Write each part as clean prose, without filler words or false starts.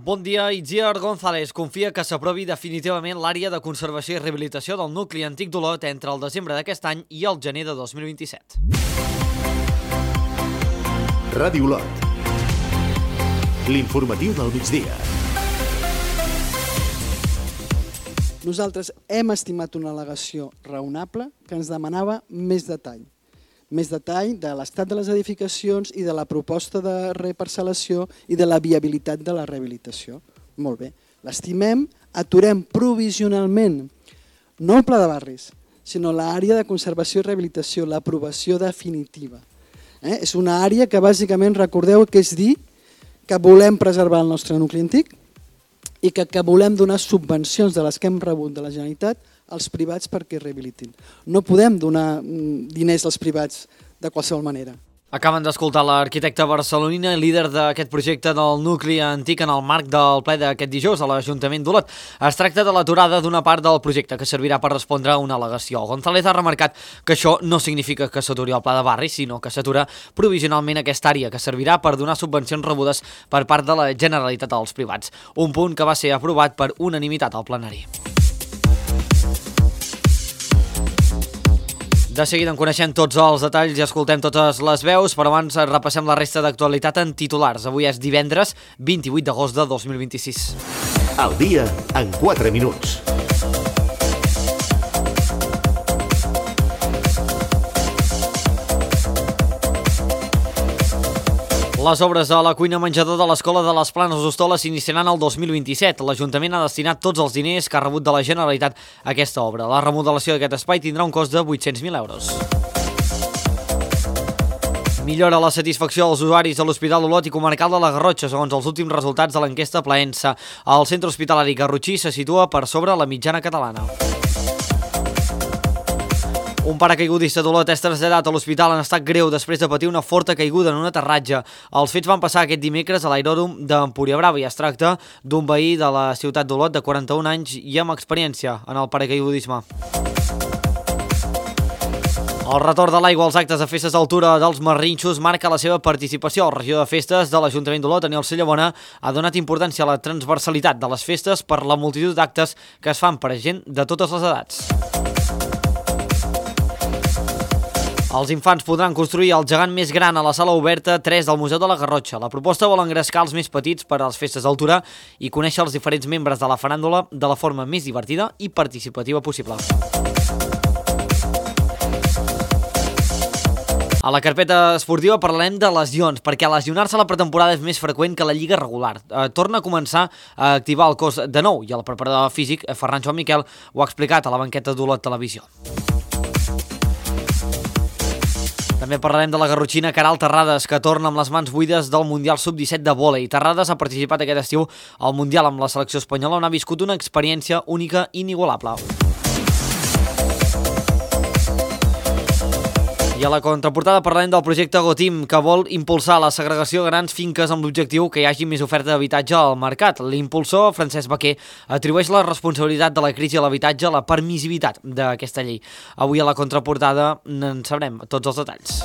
Bon dia, Itziar González confia que s'aprovi definitivament l'àrea de conservació i rehabilitació del nucli antic d'Olot entre el desembre d'aquest any i el gener de 2027. Ràdio Olot. L'informatiu del migdia. Nosaltres hem estimat una al·legació raonable que ens demanava més detall. Més detall de l'estat de les edificacions i de la proposta de reparcel·lació i de la viabilitat de la rehabilitació. Molt bé, l'estimem, aturem provisionalment, no el pla de barris, sinó l'àrea de conservació i rehabilitació, l'aprovació definitiva. És una àrea que bàsicament recordeu que és dir que volem preservar el nostre nucli antic i que volem donar subvencions de les que hem rebut de la Generalitat als privats perquè rehabilitin. No podem donar diners als privats de qualsevol manera. Acaben d'escoltar l'arquitecta barcelonina i líder d'aquest projecte del nucli antic en el marc del ple d'aquest dijous a l'Ajuntament d'Olot. Es tracta de l'aturada d'una part del projecte que servirà per respondre a una al·legació. González ha remarcat que això no significa que s'aturi el pla de barri, sinó que s'atura provisionalment aquesta àrea que servirà per donar subvencions rebudes per part de la Generalitat als privats. Un punt que va ser aprovat per unanimitat al plenari. De seguida en coneixem tots els detalls i escoltem totes les veus, però abans repassem la resta d'actualitat en titulars. Avui és divendres 28 d'agost de 2026. Al dia en 4 minuts. Les obres a la cuina menjador de l'Escola de les Planes d'Hostoles s'iniciaran el 2027. L'Ajuntament ha destinat tots els diners que ha rebut de la Generalitat a aquesta obra. La remodelació d'aquest espai tindrà un cost de 800.000 euros. Millora la satisfacció dels usuaris de l'Hospital Olot i Comarcal de la Garrotxa, segons els últims resultats de l'enquesta Plaensa. El centre hospitalari garrotxí se situa per sobre la mitjana catalana. Un paracaigudista d'Olot és traslladat a l'hospital en estat greu després de patir una forta caiguda en un aterratge. Els fets van passar aquest dimecres a l'aeròdrom d'Empúria Brava i es tracta d'un veí de la ciutat d'Olot de 41 anys i amb experiència en el paracaigudisme. El retorn de l'aigua als actes de festes d'altura dels Marrinxos marca la seva participació. El regidor de festes de l'Ajuntament d'Olot, Daniel Cellabona, ha donat importància a la transversalitat de les festes per la multitud d'actes que es fan per a gent de totes les edats. Els infants podran construir el gegant més gran a la sala oberta 3 del Museu de la Garrotxa. La proposta vol engrescar els més petits per a les festes d'altura i conèixer els diferents membres de la faràndula de la forma més divertida i participativa possible. A la carpeta esportiva parlarem de lesions, perquè lesionar-se a la pretemporada és més freqüent que la lliga regular. Torna a començar a activar el cos de nou i el preparador físic, Ferran Joan Miquel, ho ha explicat a la banqueta d'Olot Televisió. També parlarem de la garrotxina Queralt Terrades, que torna amb les mans buides del Mundial Sub-17 de vòlei. Terrades ha participat aquest estiu al Mundial amb la selecció espanyola, on ha viscut una experiència única i inigualable. I a la contraportada parlarem del projecte Gotim, que vol impulsar la segregació de grans finques amb l'objectiu que hi hagi més oferta d'habitatge al mercat. L'impulsor, Francesc Baquer, atribueix la responsabilitat de la crisi a l'habitatge a la permissivitat d'aquesta llei. Avui a la contraportada en sabrem tots els detalls.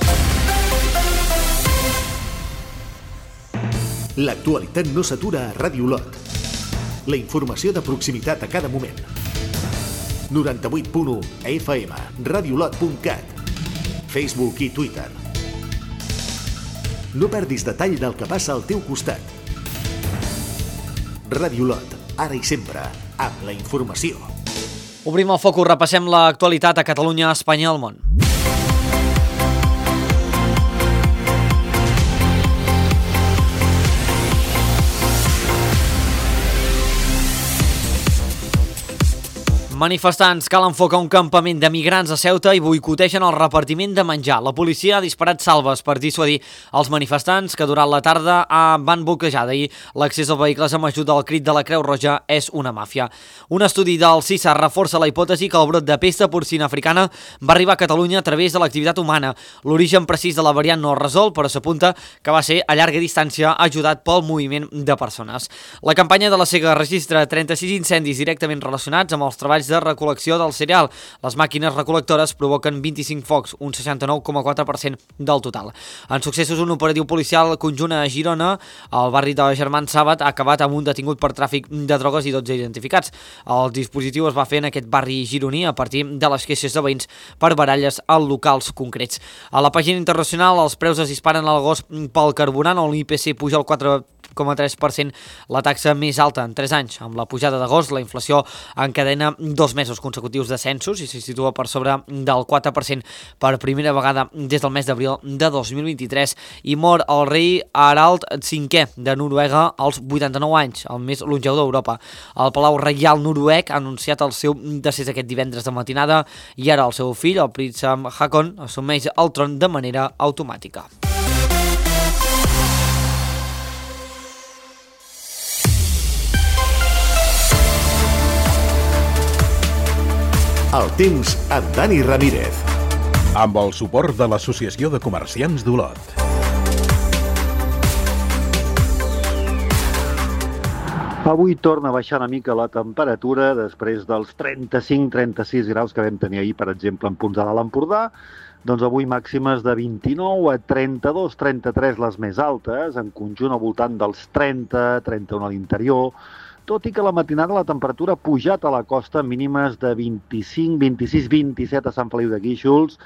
L'actualitat no s'atura a Ràdio Olot. La informació de proximitat a cada moment. 98.1 FM, radiolot.cat, Facebook i Twitter. No perdis detall del que passa al teu costat. Ràdio Olot, ara i sempre, amb la informació. Obrim el focus, repassem l'actualitat a Catalunya, Espanya i el món. Manifestants calen foc a un campament de migrants a Ceuta i boicotegen el repartiment de menjar. La policia ha disparat salves per dissuadir els manifestants que durant la tarda van bloquejar d'ahir l'accés als vehicles amb ajuda del crit de la Creu Roja és una màfia. Un estudi del CISA reforça la hipòtesi que el brot de pesta porcina africana va arribar a Catalunya a través de l'activitat humana. L'origen precís de la variant no es resol, però s'apunta que va ser a llarga distància ajudat pel moviment de persones. La campanya de la Sega registra 36 incendis directament relacionats amb els treballs de recol·lecció del cereal. Les màquines recol·lectores provoquen 25 focs, un 69,4% del total. En successos, un operatiu policial conjunt a Girona, al barri de Germans Sàbat, ha acabat amb un detingut per tràfic de drogues i 12 identificats. El dispositiu es va fer en aquest barri gironí a partir de les queixes de veïns per baralles en locals concrets. A la pàgina internacional, els preus es disparen a l'agost pel carburant, on l'IPC puja el 4,3%, la taxa més alta en 3 anys. Amb la pujada d'agost, la inflació encadena 2 mesos consecutius d'ascensos i se situa per sobre del 4% per primera vegada des del mes d'abril de 2023. I mor el rei Harald V de Noruega als 89 anys, el més longeu d'Europa. El Palau Reial noruec ha anunciat el seu decés aquest divendres de matinada i ara el seu fill, el príncep Haakon, assumeix el tron de manera automàtica. El temps amb Dani Ramírez. Amb el suport de l'Associació de Comerciants d'Olot. Avui torna a baixar una mica la temperatura després dels 35-36 graus que vam tenir ahir, per exemple, en punts de l'Alt Empordà. Doncs avui màximes de 29 a 32-33 les més altes, en conjunt al voltant dels 30-31 a l'interior, tot i que a la matinada la temperatura ha pujat a la costa, mínimes de 25, 26, 27 a Sant Feliu de Guíxols,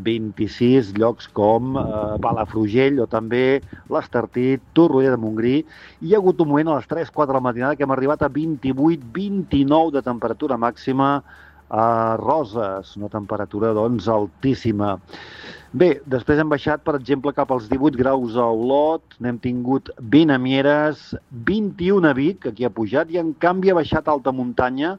26 llocs com Palafrugell o també l'Estartit, Torroella de Montgrí. Hi ha hagut un moment a les 3-4 de la matinada que hem arribat a 28-29 de temperatura màxima a Roses, una temperatura doncs altíssima. Bé, després hem baixat, per exemple, cap als 18 graus a Olot, n'hem tingut 20 a Mieres, 21 a Vic, aquí ha pujat, i en canvi ha baixat a alta muntanya,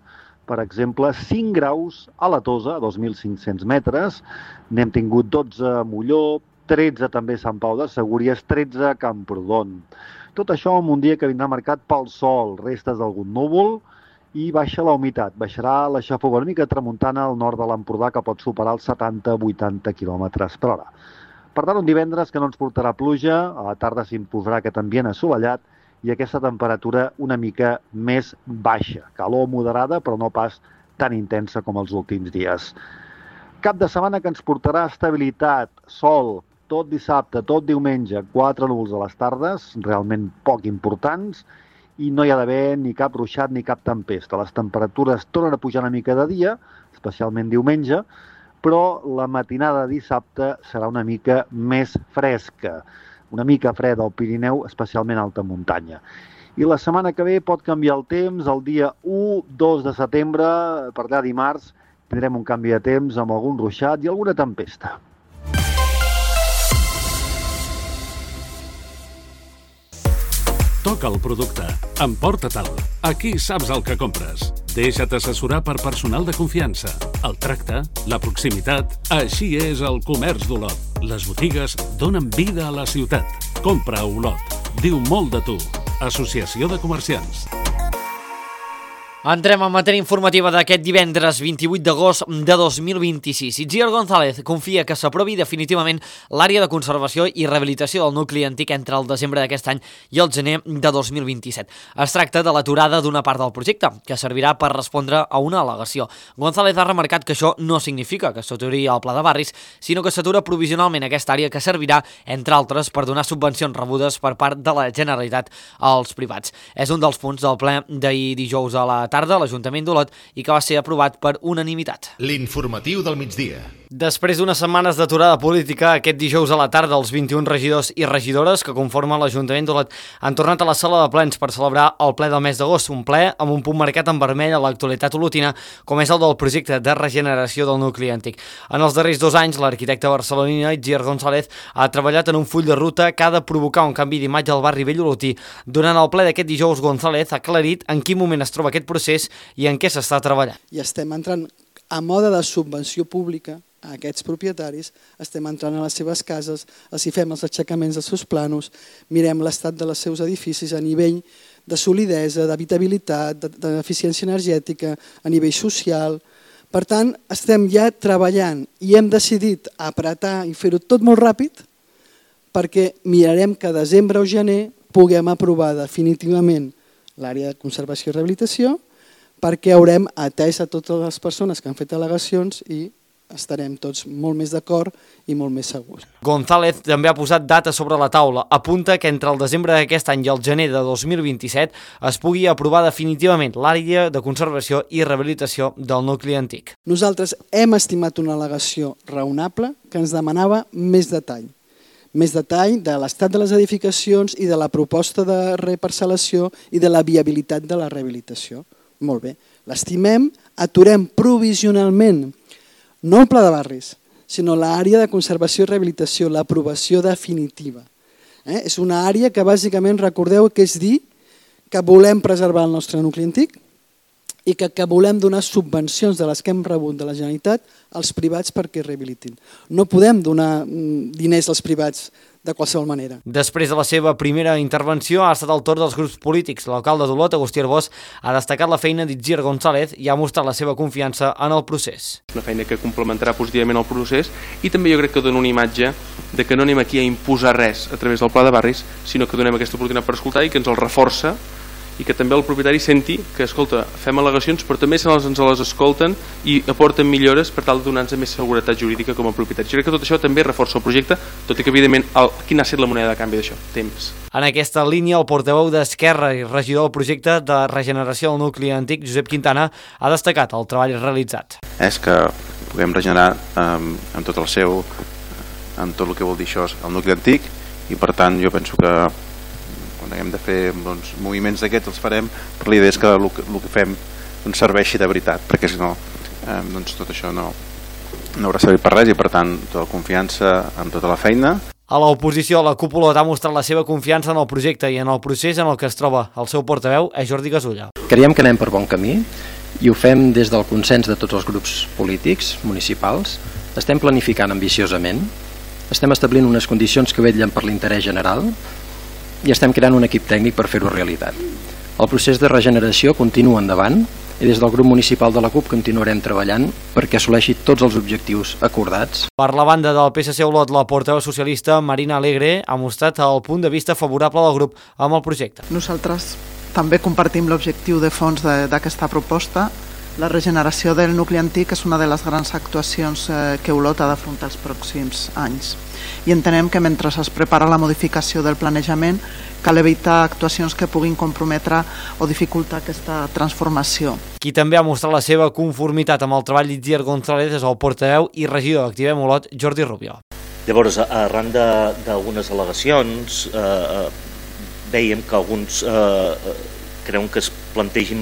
per exemple, 5 graus a la Tosa, a 2.500 metres, n'hem tingut 12 a Molló, 13 també a Sant Pau de Segúries, 13 a Camprodon. Tot això en un dia que vindrà marcat pel sol, restes d'algun núvol i baixa la humitat. Baixarà la xafogor una mica tramuntana al nord de l'Empordà, que pot superar els 70-80 km per hora. Per tant, un divendres que no ens portarà pluja, a la tarda s'imposarà aquest ambient assolellat i aquesta temperatura una mica més baixa. Calor moderada, però no pas tan intensa com els últims dies. Cap de setmana que ens portarà estabilitat, sol, tot dissabte, tot diumenge, 4 núvols a les tardes, realment poc importants, i no hi ha d'haver ni cap ruixat ni cap tempesta. Les temperatures tornen a pujar una mica de dia, especialment diumenge, però la matinada de dissabte serà una mica més fresca. Una mica freda al Pirineu, especialment a alta muntanya. I la setmana que ve pot canviar el temps, el dia 1-2 de setembre, per allà dimarts, tindrem un canvi de temps amb algun ruixat i alguna tempesta. Toca el producte. Emporta-te'l. Aquí saps el que compres. Deixa't assessorar per personal de confiança. El tracte, la proximitat... Així és el comerç d'Olot. Les botigues donen vida a la ciutat. Compra a Olot. Diu molt de tu. Associació de Comerciants. Entrem en matèria informativa d'aquest divendres 28 d'agost de 2026. Itziar González confia que s'aprovi definitivament l'àrea de conservació i rehabilitació del nucli antic entre el desembre d'aquest any i el gener de 2027. Es tracta de l'aturada d'una part del projecte, que servirà per respondre a una al·legació. González ha remarcat que això no significa que s'aturi el pla de barris, sinó que s'atura provisionalment aquesta àrea que servirà, entre altres, per donar subvencions rebudes per part de la Generalitat als privats. És un dels punts del ple d'ahir dijous a la tarda a l'Ajuntament d'Olot i que va ser aprovat per unanimitat. L'informatiu del migdia. Després d'unes setmanes d'aturada política, aquest dijous a la tarda els 21 regidors i regidores que conformen l'Ajuntament d'Olot han tornat a la sala de plens per celebrar el ple del mes d'agost, un ple amb un punt marcat en vermell a l'actualitat olotina, com és el del projecte de regeneració del nucli antic. En els darrers 2 anys, l'arquitecte barcelonina Itziar González ha treballat en un full de ruta que ha de provocar un canvi d'imatge al barri vell olotí. Durant el ple d'aquest dijous, González ha aclarit en quin moment es troba aquest procés i en què s'està treballant. I estem entrant a mode de subvenció pública a aquests propietaris, estem entrant a les seves cases, els hi fem els aixecaments dels seus planos, mirem l'estat dels seus edificis a nivell de solidesa, d'habitabilitat, d'eficiència energètica, a nivell social. Per tant, estem ja treballant i hem decidit apretar i fer-ho tot molt ràpid perquè mirarem que a desembre o gener puguem aprovar definitivament l'àrea de conservació i rehabilitació perquè haurem atès a totes les persones que han fet al·legacions i estarem tots molt més d'acord i molt més segurs. González també ha posat data sobre la taula. Apunta que entre el desembre d'aquest any i el gener de 2027 es pugui aprovar definitivament l'àrea de conservació i rehabilitació del nucli antic. Nosaltres hem estimat una al·legació raonable que ens demanava més detall de l'estat de les edificacions i de la proposta de reparcel·lació i de la viabilitat de la rehabilitació. Molt bé, l'estimem, aturem provisionalment no el pla de barris, sinó l'àrea de conservació i rehabilitació, l'aprovació definitiva. És una àrea que bàsicament recordeu que és dir que volem preservar el nostre nucli antic i que volem donar subvencions de les que hem rebut de la Generalitat als privats perquè rehabilitin. No podem donar diners als privats de qualsevol manera. Després de la seva primera intervenció ha estat el torn dels grups polítics. L'alcalde d'Olot, Agustí Arbós, ha destacat la feina d'Itziar González i ha mostrat la seva confiança en el procés. Una feina que complementarà positivament el procés i també jo crec que dona una imatge de que no anem aquí a imposar res a través del pla de barris, sinó que donem aquesta oportunitat per escoltar i que ens el reforça i que també el propietari senti que, escolta, fem al·legacions però també ens les escolten i aporten millores per tal de donar-nos més seguretat jurídica com a propietari. Jo crec que tot això també reforça el projecte, tot i que evidentment quina ha estat la moneda de canvi d'això? Temps. En aquesta línia, el portaveu d'Esquerra i regidor del projecte de regeneració del nucli antic, Josep Quintana, ha destacat el treball realitzat. És que puguem regenerar amb tot el seu, amb tot el que vol dir això, el nucli antic, i per tant jo penso que quan haguem de fer moviments d'aquests els farem, però la idea és que el que fem serveixi de veritat, perquè si no tot això no haurà servit per res i per tant tota la confiança en tota la feina. A l'oposició, la cúpula ha mostrat la seva confiança en el projecte i en el procés en el que es troba. El seu portaveu és Jordi Gasulla. Creiem que anem per bon camí i ho fem des del consens de tots els grups polítics municipals. Estem planificant ambiciosament, estem establint unes condicions que vetllen per l'interès general i estem creant un equip tècnic per fer-ho realitat. El procés de regeneració continua endavant i des del grup municipal de la CUP continuarem treballant perquè assoleixi tots els objectius acordats. Per la banda del PSC Olot, la portaveu socialista Marina Alegre ha mostrat el punt de vista favorable del grup amb el projecte. Nosaltres també compartim l'objectiu de fons d'aquesta proposta. La regeneració del nucli antic és una de les grans actuacions que Olot ha d'afrontar els pròxims anys. I entenem que mentre es prepara la modificació del planejament cal evitar actuacions que puguin comprometre o dificultar aquesta transformació. Qui també ha mostrat la seva conformitat amb el treball d'Itziar González és el portaveu i regidor d'Activem Olot, Jordi Rubio. Llavors, arran d'algunes al·legacions, veiem que alguns creuen que es plantegin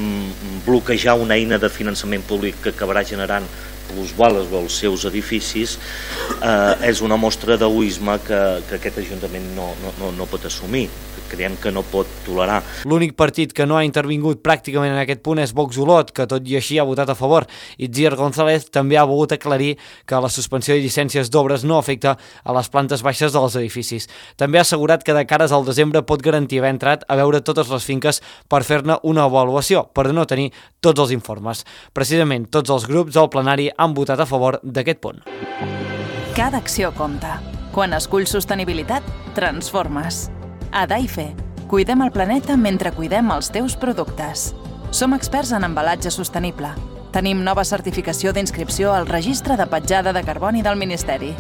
bloquejar una eina de finançament públic que acabarà generant plusvàlues als seus edificis. És una mostra d'egoisme que aquest Ajuntament no pot assumir, que creiem que no pot tolerar. L'únic partit que no ha intervingut pràcticament en aquest punt és Vox Olot, que tot i així ha votat a favor. Itziar González també ha volgut aclarir que la suspensió de llicències d'obres no afecta a les plantes baixes dels edificis. També ha assegurat que de cares al desembre pot garantir haver entrat a veure totes les finques per fer-ne una avaluació, per no tenir tots els informes. Precisament tots els grups del plenari han votat a favor d'aquest punt. Cada acció compta. Quan esculls sostenibilitat, transformes. A Daife, cuidem el planeta mentre cuidem els teus productes. Som experts en embalatge sostenible. Tenim nova certificació d'inscripció al Registre de Petjada de Carboni del Ministeri.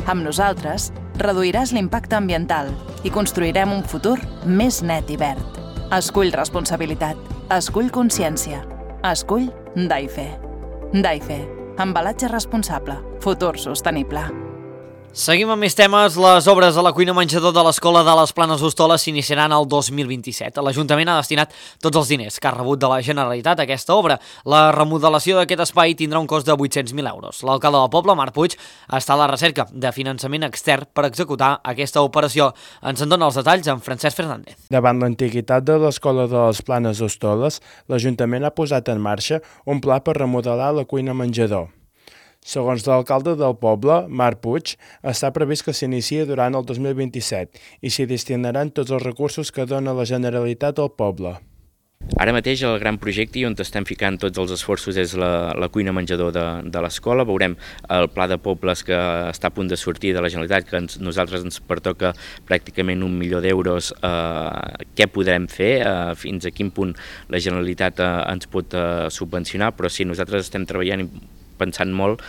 Amb nosaltres, reduiràs l'impacte ambiental i construirem un futur més net i verd. Escull responsabilitat. Escull consciència. Escull Daife. Daife. Embalatge responsable. Futur sostenible. Seguim amb més temes. Les obres a la cuina menjador de l'Escola de les Planes d'Hostoles s'iniciaran el 2027. L'Ajuntament ha destinat tots els diners que ha rebut de la Generalitat a aquesta obra. La remodelació d'aquest espai tindrà un cost de 800.000 euros. L'alcalde del poble, Marc Puig, està a la recerca de finançament extern per executar aquesta operació. Ens en dona els detalls en Francesc Fernández. Davant l'antiguitat de l'Escola de les Planes d'Hostoles, l'Ajuntament ha posat en marxa un pla per remodelar la cuina menjador. Segons l'alcalde del poble, Marc Puig, està previst que s'inicia durant el 2027 i s'hi destinaran tots els recursos que dona la Generalitat al poble. Ara mateix el gran projecte on estem ficant tots els esforços és la cuina menjador de l'escola. Veurem el pla de pobles que està a punt de sortir de la Generalitat, que nosaltres ens pertoca pràcticament 1 milió d'euros. Què podrem fer? Fins a quin punt la Generalitat ens pot subvencionar? Però sí, nosaltres estem treballant i pensant molt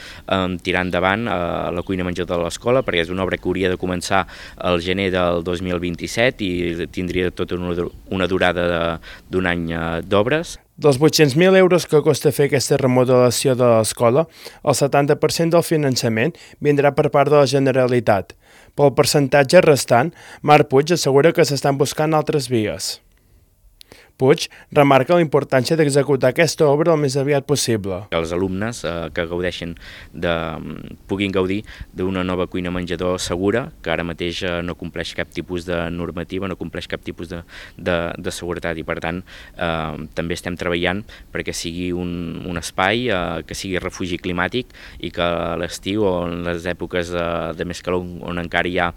tirar endavant la cuina menjador de l'escola, perquè és una obra que hauria de començar al gener del 2027 i tindria tota una durada d'un any d'obres. Dels 800.000 euros que costa fer aquesta remodelació de l'escola, el 70% del finançament vindrà per part de la Generalitat. Pel percentatge restant, Marc Puig assegura que s'estan buscant altres vies. Puig remarca la importància d'executar aquesta obra el més aviat possible. Els alumnes que puguin gaudir d'una nova cuina menjador segura, que ara mateix no compleix cap tipus de normativa, no compleix cap tipus de seguretat, i per tant també estem treballant perquè sigui un espai que sigui refugi climàtic i que a l'estiu o en les èpoques de més calor on encara hi ha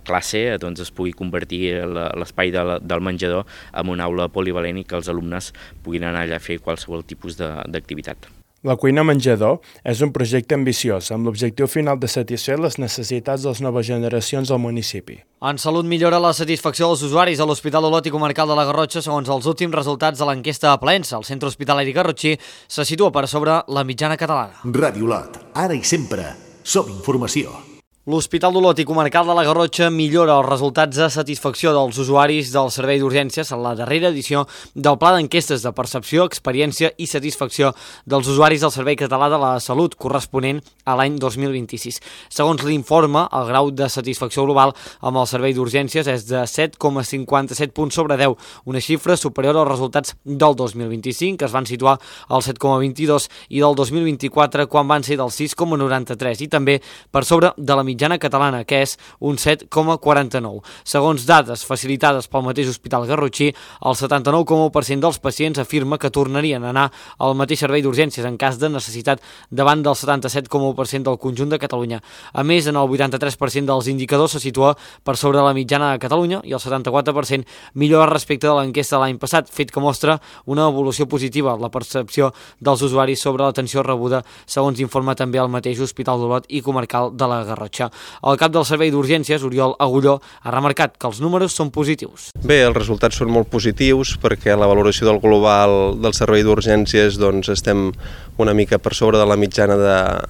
classe, doncs es pugui convertir l'espai del menjador en una aula polivalent i que els alumnes puguin anar allà a fer qualsevol tipus d'activitat. La cuina menjador és un projecte ambiciós, amb l'objectiu final de satisfer les necessitats de les noves generacions del municipi. En salut millora la satisfacció dels usuaris a l'Hospital Olot i Comarcal de la Garrotxa segons els últims resultats de l'enquesta a Plaensa. El centre hospitalari garrotxí se situa per sobre la mitjana catalana. Ràdio Olot, ara i sempre, som informació. L'Hospital d'Olot i Comarcal de la Garrotxa millora els resultats de satisfacció dels usuaris del servei d'urgències en la darrera edició del Pla d'Enquestes de Percepció, Experiència i Satisfacció dels usuaris del Servei Català de la Salut, corresponent a l'any 2026. Segons l'informe, el grau de satisfacció global amb el servei d'urgències és de 7,57 punts sobre 10, una xifra superior als resultats del 2025, que es van situar al 7,22, i del 2024, quan van ser del 6,93, i també per sobre de la mitjana catalana, que és un 7,49. Segons dades facilitades pel mateix Hospital Garrotxí, el 79,1% dels pacients afirma que tornarien a anar al mateix servei d'urgències en cas de necessitat, davant del 77,1% del conjunt de Catalunya. A més, en el 83% dels indicadors se situa per sobre la mitjana de Catalunya i el 74% millora respecte de l'enquesta de l'any passat, fet que mostra una evolució positiva en la percepció dels usuaris sobre l'atenció rebuda, segons informa també el mateix Hospital d'Olot i Comarcal de la Garrotxa. El cap del servei d'urgències, Oriol Agulló, ha remarcat que els números són positius. Bé, els resultats són molt positius perquè la valoració del global del servei d'urgències doncs, estem una mica per sobre de la mitjana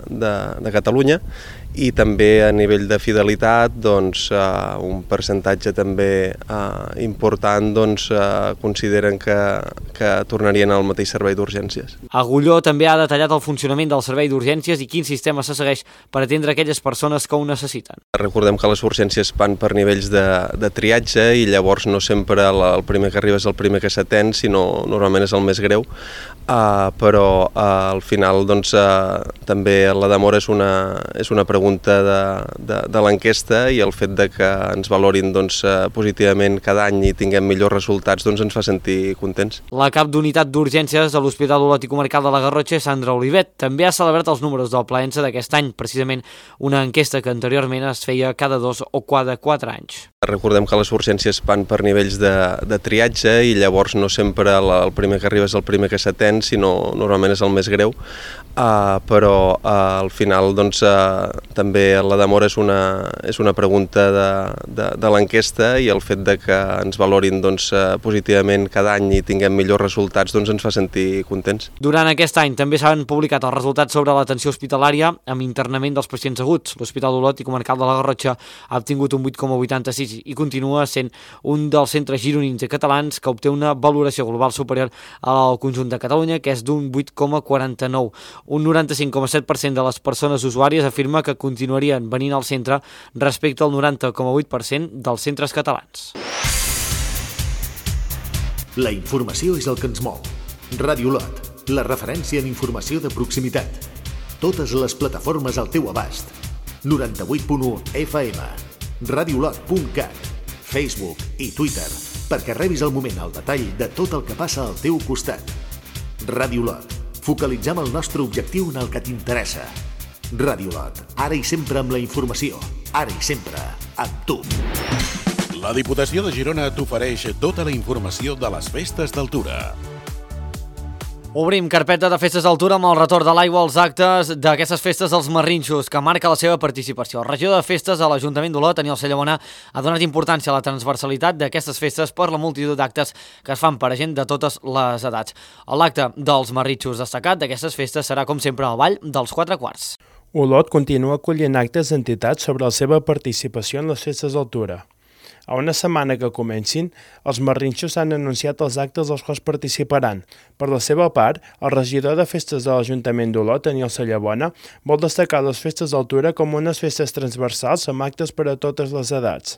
de Catalunya, i també a nivell de fidelitat doncs, un percentatge també important doncs, consideren que tornarien al mateix servei d'urgències. Agulló també ha detallat el funcionament del servei d'urgències i quin sistema se segueix per atendre aquelles persones que ho necessiten. Recordem que les urgències van per nivells de triatge i llavors no sempre el primer que arriba és el primer que s'atén, sinó normalment és el més greu, però al final doncs, també la demora és una pregunta de l'enquesta, i el fet de que ens valorin doncs, positivament cada any i tinguem millors resultats doncs, ens fa sentir contents. La cap d'unitat d'urgències de l'Hospital Olot i Comarcal de la Garrotxa, Sandra Olivet, també ha celebrat els números del Plaensa d'aquest any, precisament una enquesta que anteriorment es feia cada 2 o cada 4 anys. Recordem que les urgències van per nivells de triatge i llavors no sempre el primer que arriba és el primer que s'atén, sinó normalment és el més greu, però al final doncs, també la demora és una pregunta de l'enquesta, i el fet de que ens valorin doncs, positivament cada any i tinguem millors resultats doncs, ens fa sentir contents. Durant aquest any també s'han publicat els resultats sobre l'atenció hospitalària amb internament dels pacients aguts. L'Hospital d'Olot i Comarcal de la Garrotxa ha obtingut un 8,86 i continua sent un dels centres gironins i catalans que obté una valoració global superior al conjunt de Catalunya, que és d'un 8,49. Un 95,7% de les persones usuàries afirma que continuarien venint al centre respecte al 90,8% dels centres catalans. La informació és el que ens mou. Ràdio Olot, la referència en informació de proximitat. Totes les plataformes al teu abast. 98.1 FM, radiolot.cat, Facebook i Twitter, perquè rebis al moment el detall de tot el que passa al teu costat. Ràdio Olot, focalitzem el nostre objectiu en el que t'interessa. Ràdio Olot, ara i sempre amb la informació, ara i sempre amb tu. La Diputació de Girona t'ofereix tota la informació de les festes d'altura. Obrim carpeta de festes d'altura amb el retorn de l'aigua als actes d'aquestes festes dels Marrinxos, que marca la seva participació. El regidor de festes de l'Ajuntament d'Olot, Aniol Cellabona, ha donat importància a la transversalitat d'aquestes festes per la multitud d'actes que es fan per a gent de totes les edats. L'acte dels Marrinxos destacat d'aquestes festes serà, com sempre, al Ball dels 4 quarts. Olot continua acollint actes d'entitats sobre la seva participació en les festes d'altura. A una setmana que comencin, els Marrinxos han anunciat els actes als quals participaran. Per la seva part, el regidor de festes de l'Ajuntament d'Olot, Aniol Cellabona, vol destacar les festes d'altura com unes festes transversals amb actes per a totes les edats.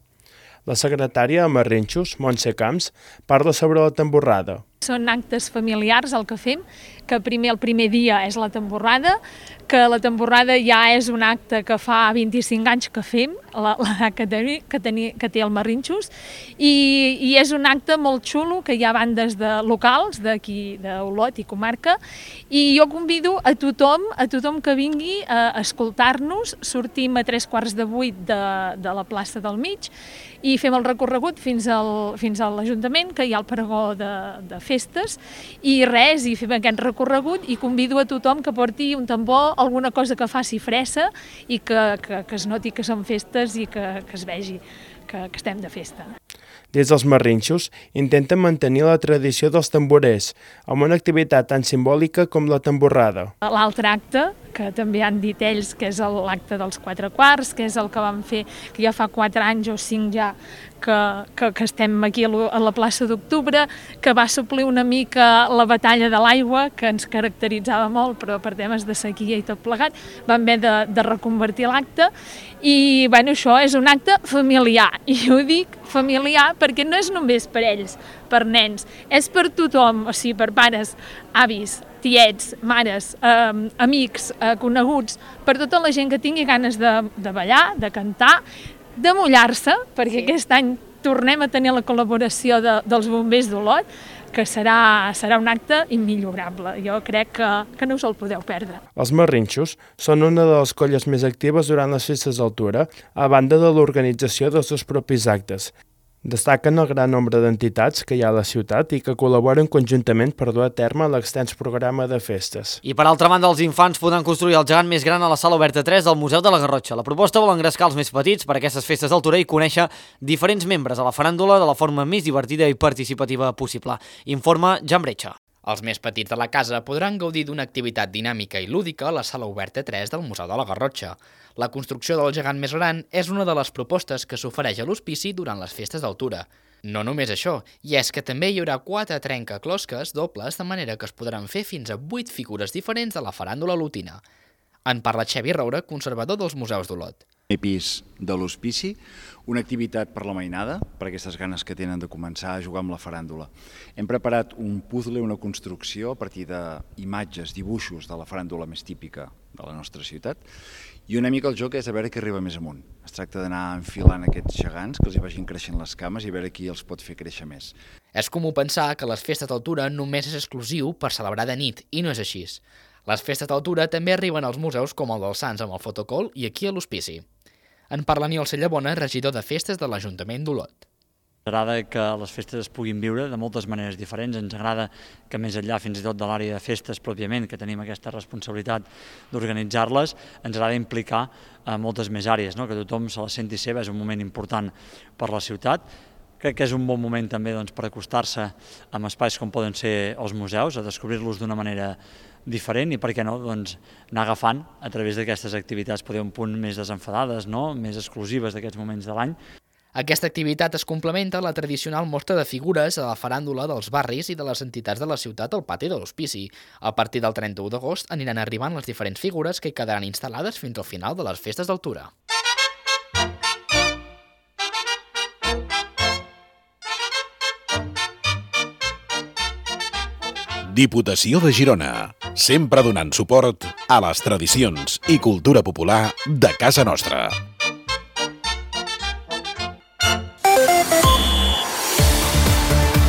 La secretària de Marrinxos, Montse Camps, parla sobre la tamborrada. Són actes familiars el que fem, que el primer dia és la tamborrada, que la tamborrada ja és un acte que fa 25 anys que fem, l'edat que té el Marrinxos, i és un acte molt xulo, que hi ha bandes locals d'aquí, d'Olot i comarca, i jo convido a tothom que vingui a escoltar-nos. Sortim a 7:45 de la plaça del Mig i fem el recorregut fins a l'Ajuntament, que hi ha el pregó de festes, i fem aquest recorregut i convido a tothom que porti un tambor, alguna cosa que faci fressa i que es noti que són festes i que es vegi que estem de festa. Des dels Marrinxos intenten mantenir la tradició dels tamborers, amb una activitat tan simbòlica com la tamborrada. L'altre acte, que també han dit ells, que és l'acte dels 4 quarts, que és el que vam fer, que ja fa 4 anys o 5 ja, que estem aquí a la plaça d'Octubre, que va suplir una mica la batalla de l'aigua, que ens caracteritzava molt, però per temes de sequia i tot plegat, vam haver de reconvertir l'acte, i això és un acte familiar, i ho dic familiar perquè no és només per ells, per nens, és per tothom, o sigui, per pares, avis, tiets, mares, amics, coneguts, per tota la gent que tingui ganes de ballar, de cantar, de mullar-se, perquè aquest any tornem a tenir la col·laboració dels bombers d'Olot, que serà un acte immillorable. Jo crec que no us el podeu perdre. Els Marrinxos són una de les colles més actives durant les festes d'altura, a banda de l'organització dels seus propis actes. Destaquen el gran nombre d'entitats que hi ha a la ciutat i que col·laboren conjuntament per dur a terme l'extens programa de festes. I per altra banda, els infants podran construir el gegant més gran a la Sala Oberta 3 del Museu de la Garrotxa. La proposta vol engrescar els més petits per a aquestes festes d'altura i conèixer diferents membres a la faràndula de la forma més divertida i participativa possible. Informa Jan Bretxa. Els més petits de la casa podran gaudir d'una activitat dinàmica i lúdica a la Sala Oberta 3 del Museu de la Garrotxa. La construcció del gegant més gran és una de les propostes que s'ofereix a l'hospici durant les festes d'altura. No només això, i és que també hi haurà 4 trencaclosques dobles, de manera que es podran fer fins a 8 figures diferents de la faràndula lotina. En parla Xavi Roura, conservador dels museus d'Olot. Pis de l'hospici, una activitat per la mainada, per aquestes ganes que tenen de començar a jugar amb la faràndula. Hem preparat un puzzle, una construcció a partir d'imatges, dibuixos de la faràndula més típica de la nostra ciutat, i una mica el joc és a veure qui arriba més amunt. Es tracta d'anar enfilant aquests gegants, que els hi vagin creixent les cames i a veure qui els pot fer créixer més. És comú pensar que les festes d'altura només és exclusiu per celebrar de nit, i no és així. Les festes d'altura també arriben als museus com el dels Sants amb el fotocol i aquí a l'hospici. En parla Aniol Cellabona, regidor de festes de l'Ajuntament d'Olot. Ens agrada que les festes es puguin viure de moltes maneres diferents. Ens agrada que més enllà fins i tot de l'àrea de festes pròpiament, que tenim aquesta responsabilitat d'organitzar-les, ens agrada implicar moltes més àrees, que tothom se la senti seva. És un moment important per la ciutat. Crec que és un bon moment també per acostar-se amb espais com poden ser els museus, a descobrir-los d'una manera diferent i, per què no, anar agafant a través d'aquestes activitats poder un punt més desenfadades, més exclusives d'aquests moments de l'any. Aquesta activitat es complementa a la tradicional mostra de figures a la faràndula dels barris i de les entitats de la ciutat al pati de l'hospici. A partir del 31 d'agost aniran arribant les diferents figures que hi quedaran instal·lades fins al final de les festes d'altura. Diputació de Girona, sempre donant suport a les tradicions i cultura popular de casa nostra.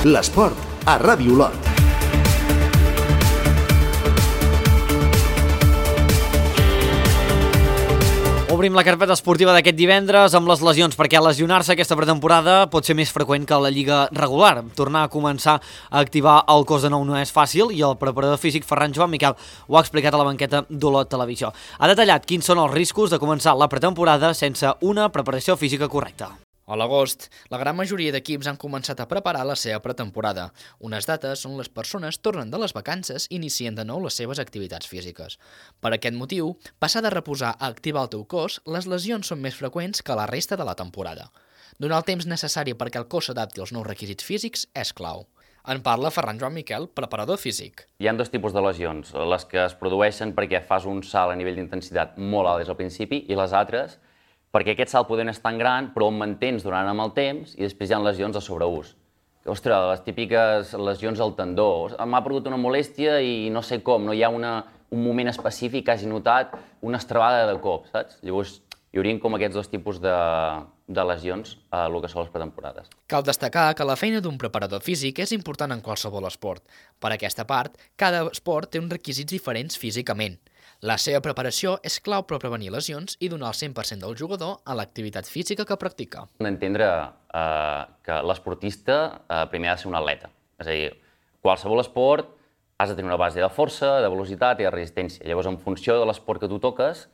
L'esport a Ràdio Olot. Obrim la carpeta esportiva d'aquest divendres amb les lesions, perquè lesionar-se aquesta pretemporada pot ser més freqüent que la lliga regular. Tornar a començar a activar el cos de nou no és fàcil i el preparador físic Ferran Joan Miquel ho ha explicat a la banqueta d'Olot Televisió. Ha detallat quins són els riscos de començar la pretemporada sense una preparació física correcta. A l'agost, la gran majoria d'equips han començat a preparar la seva pretemporada. Unes dates on les persones tornen de les vacances i inicien de nou les seves activitats físiques. Per aquest motiu, passar de reposar a activar el teu cos, les lesions són més freqüents que la resta de la temporada. Donar el temps necessari perquè el cos s'adapti als nous requisits físics és clau. En parla Ferran Joan Miquel, preparador físic. Hi ha dos tipus de lesions, les que es produeixen perquè fas un salt a nivell d'intensitat molt alt des del principi i les altres perquè aquest salt poder no és tan gran, però el mantens durant amb el temps i després hi ha lesions de sobreús. Ostres, les típiques lesions al tendó. M'ha produït una molèstia i no sé com, no hi ha un moment específic que hagi notat una estrabada de cop, saps? Llavors, hi haurien com aquests dos tipus de lesions a el que són les pretemporades. Cal destacar que la feina d'un preparador físic és important en qualsevol esport. Per aquesta part, cada esport té uns requisits diferents físicament. La seva preparació és clau per prevenir lesions i donar el 100% del jugador a l'activitat física que practica. Hem d'entendre que l'esportista primer ha de ser un atleta. És a dir, qualsevol esport has de tenir una base de força, de velocitat i de resistència. Llavors, en funció de l'esport que tu toques,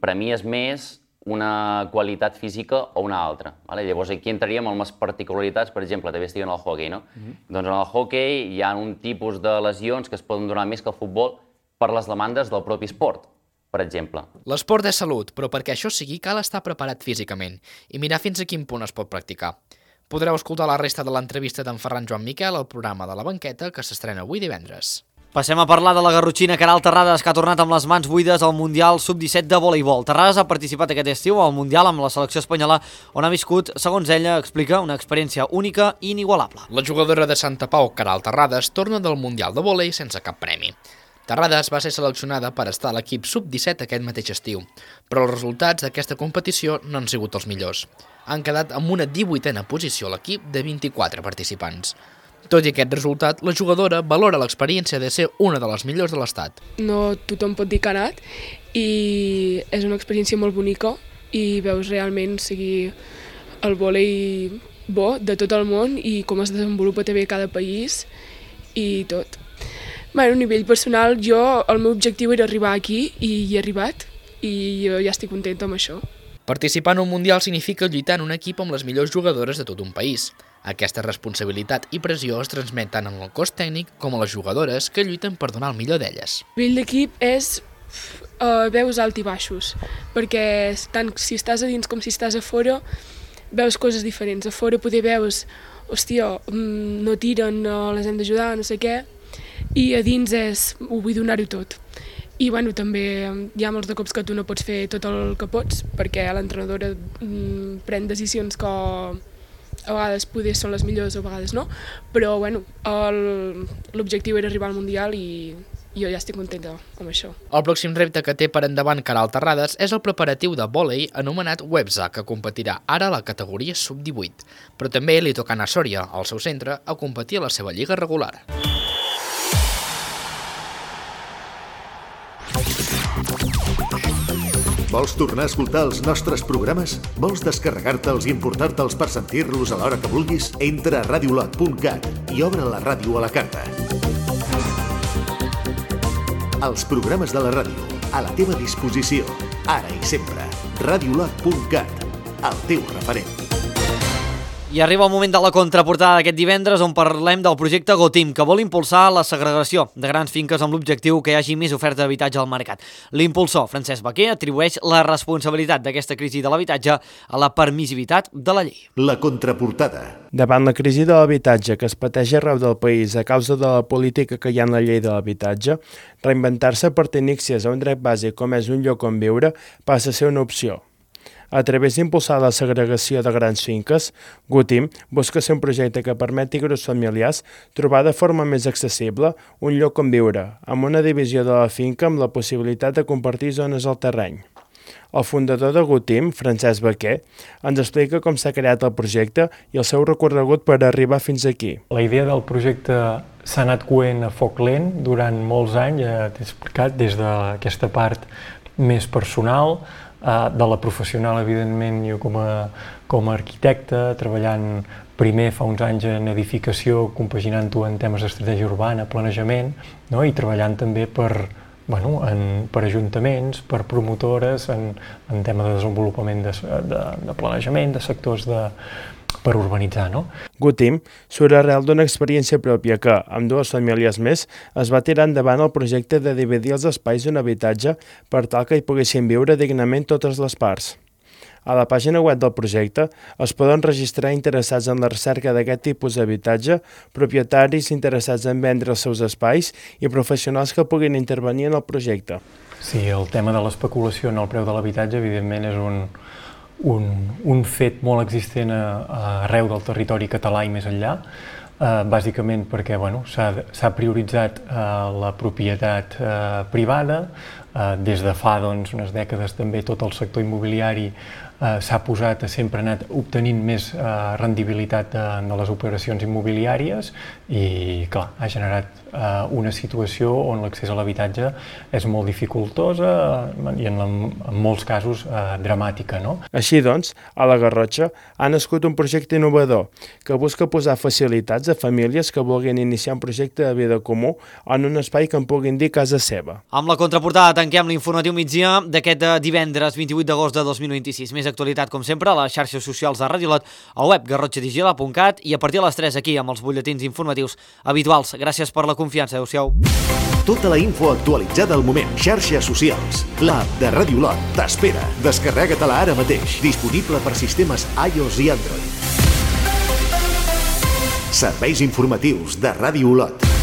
premies més una qualitat física o una altra. Llavors, aquí entraríem en les particularitats, per exemple, també estic en el hoquei, no? Doncs en el hoquei hi ha un tipus de lesions que es poden donar més que el futbol per les demandes del propi esport, per exemple. L'esport és salut, però perquè això sigui cal estar preparat físicament i mirar fins a quin punt es pot practicar. Podreu escoltar la resta de l'entrevista d'en Ferran Joan Miquel al programa de la banqueta que s'estrena avui divendres. Passem a parlar de la garrotxina Queralt Terrades, que ha tornat amb les mans buides al Mundial Sub-17 de voleibol. Terrades ha participat aquest estiu al Mundial amb la selecció espanyola, on ha viscut, segons ella, explica, una experiència única i inigualable. La jugadora de Santa Pau, Queralt Terrades, torna del Mundial de vòlei sense cap premi. Terrades va ser seleccionada per estar a l'equip Sub-17 aquest mateix estiu, però els resultats d'aquesta competició no han sigut els millors. Han quedat amb una 18a posició a l'equip de 24 participants. Tot i aquest resultat, la jugadora valora l'experiència de ser una de les millors de l'estat. No tothom pot dir que ha anat i és una experiència molt bonica i veus realment seguir el vòlei bo de tot el món i com es desenvolupa també cada país i tot. A nivell personal, el meu objectiu era arribar aquí i hi he arribat i jo ja estic contenta amb això. Participar en un Mundial significa lluitar en un equip amb les millors jugadores de tot un país. Aquesta responsabilitat i pressió es transmet tant en el cos tècnic com a les jugadores que lluiten per donar el millor d'elles. El nivell d'equip és veus alt i baixos, perquè tant si estàs a dins com si estàs a fora veus coses diferents. A fora poder veus, hòstia, no tiren, no les hem d'ajudar, no sé què, i a dins ho vull donar-ho tot. I també hi ha molts de cops que tu no pots fer tot el que pots perquè l'entrenadora pren decisions que a vegades poder són les millors o a vegades no, però l'objectiu era arribar al Mundial i jo ja estic contenta amb això. El pròxim repte que té per endavant Queralt Terrades és el preparatiu de vòlei anomenat WEBSA, que competirà ara a la categoria Sub-18, però també li toca anar a Sòria, al seu centre, a competir a la seva lliga regular. Vols tornar a escoltar els nostres programes? Vols descarregar-te'ls i emportar-te'ls per sentir-los a l'hora que vulguis? Entra a radiolot.cat i obre la ràdio a la carta. Els programes de la ràdio, a la teva disposició, ara i sempre. Radiolot.cat, el teu referent. I arriba el moment de la contraportada d'aquest divendres on parlem del projecte GoTeam, que vol impulsar la segregació de grans finques amb l'objectiu que hi hagi més oferta d'habitatge al mercat. L'impulsor, Francesc Baquer, atribueix la responsabilitat d'aquesta crisi de l'habitatge a la permissivitat de la llei. La contraportada. Davant la crisi de l'habitatge que es pateix arreu del país a causa de la política que hi ha en la llei de l'habitatge, reinventar-se per tenir accés a un dret bàsic com és un lloc on viure passa a ser una opció. A través d'impulsar la segregació de grans finques, GoTeam busca ser un projecte que permeti a grups familiars trobar de forma més accessible un lloc on viure, amb una divisió de la finca amb la possibilitat de compartir zones al terreny. El fundador de GoTeam, Francesc Baquer, ens explica com s'ha creat el projecte i el seu recorregut per arribar fins aquí. La idea del projecte s'ha anat coent a foc lent durant molts anys, ja t'he explicat, des d'aquesta part més personal, de la professional, evidentment, jo com a arquitecte, treballant primer fa uns anys en edificació, compaginant-ho en temes d'estratègia urbana, planejament, no? I treballant també per ajuntaments, per promotores, en tema de desenvolupament de planejament, de sectors per urbanitzar, no? Gutim surt arrel d'una experiència pròpia que, amb 2 famílies més, es va tirar endavant el projecte de dividir els espais d'un habitatge per tal que hi poguessin viure dignament totes les parts. A la pàgina web del projecte es poden registrar interessats en la recerca d'aquest tipus d'habitatge, propietaris interessats en vendre els seus espais i professionals que puguin intervenir en el projecte. Sí, el tema de l'especulació en el preu de l'habitatge, evidentment, és un fet molt existent arreu del territori català i més enllà, bàsicament perquè s'ha prioritzat la propietat privada, des de fa unes dècades també tot el sector immobiliari s'ha posat, sempre ha anat obtenint més rendibilitat de les operacions immobiliàries i, clar, ha generat una situació on l'accés a l'habitatge és molt dificultosa i en molts casos dramàtica, no? Així doncs, a la Garrotxa ha nascut un projecte innovador que busca posar facilitats a famílies que vulguin iniciar un projecte de vida comú en un espai que en puguin dir casa seva. Amb la contraportada tanquem l'informatiu migdia d'aquest divendres 28 d'agost de 2026. Més actualitat, com sempre, a les xarxes socials de Ràdio Lot, al web garrotxadigila.cat i a partir de les 3 aquí amb els butlletins informatius habituals. Gràcies per la confiança. Adéu-siau. Tota la info actualitzada al moment. Xarxes socials. L'app de Ràdio Lot t'espera. Descarrega-te-la ara mateix. Disponible per sistemes iOS i Android. Serveis informatius de Ràdio Lot.